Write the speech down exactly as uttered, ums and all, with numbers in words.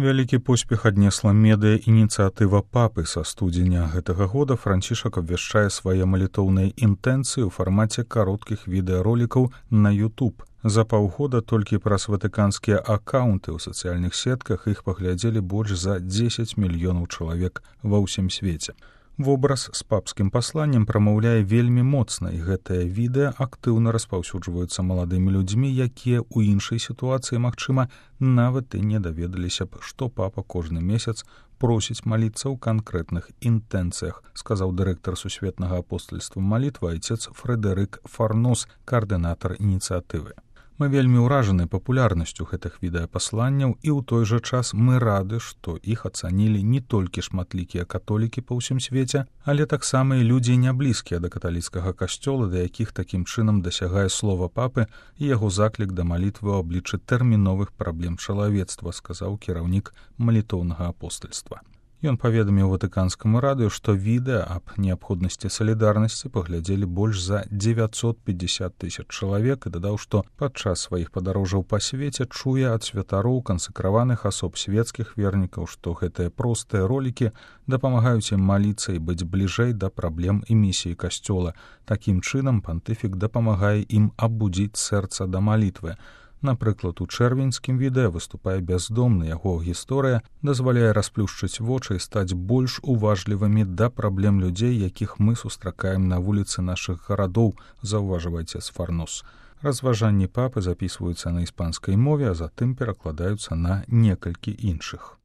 Вялікі поспех аднесла медыа-ініцыятыва папы. Са студзеня гэтага года Францішак абвяшчае свае малітоўныя інтэнцыі ў фармаце кароткіх відэаролікаў на YouTube. За паўгода толькі праз ватыканскія акаунты ў сацыяльных сетках іх паглядзелі больш за дзесяць мільёнаў чалавек ва ўсім свеце. Вобраз з папскім пасланнем прамаўляе вельмі моцна, і гэтае відэа актыўна распаўсюджваюцца маладымі людзьмі, якія ў іншай сітуацыі, магчыма, нават і не даведаліся б, што папа кожны месяц просіць маліцца ў канкрэтных інтэнцыях, сказаў дырэктар сусветнага апостальства малітвы айцец Фрэдэрык Фарнос, каардынатар ініцыятывы. Мы вельмі ўражаны папулярнасцю гэтых відэапасланняў, і ў той жа час мы рады, што іх ацанілі не толькі шматлікія католікі па ўсім свеце, але таксама і людзі няблізкія да каталіцкага касцёла, да якіх такім чынам дасягае слова папы і яго заклік да малітвы ў абліччы тэрміновых праблем чалавецтва, сказаў кіраўнік малітоўнага апостальства. Ён паведаміў ватыканскаму радыё, што відэа аб неабходнасці салідарнасці паглядзелі больш за дзевяцьсот пятьдесят тысяч чалавек і дадаў, што падчас сваіх падарожжаў па свеце чуе ад святароў, кансакраваных асоб, свецкіх вернікаў, што гэтыя простыя ролікі дапамагаюць ім маліцца і быць бліжэй да праблем і місіі касцёла. Такім чынам пантыфік дапамагае ім абудзіць сэрца да малітвы. Напрыклад, у чэрвеньскім відэа выступае бяздомны, яго гісторыя дазваляе расплюшчыць вочы і стаць больш уважлівымі да праблем людзей, якіх мы сустракаем на вуліцы нашых гарадоў, заўважвайце з Фарнос. Разважанні папы запісваюцца на іспанскай мове, а затым перакладаюцца на некалькі іншых.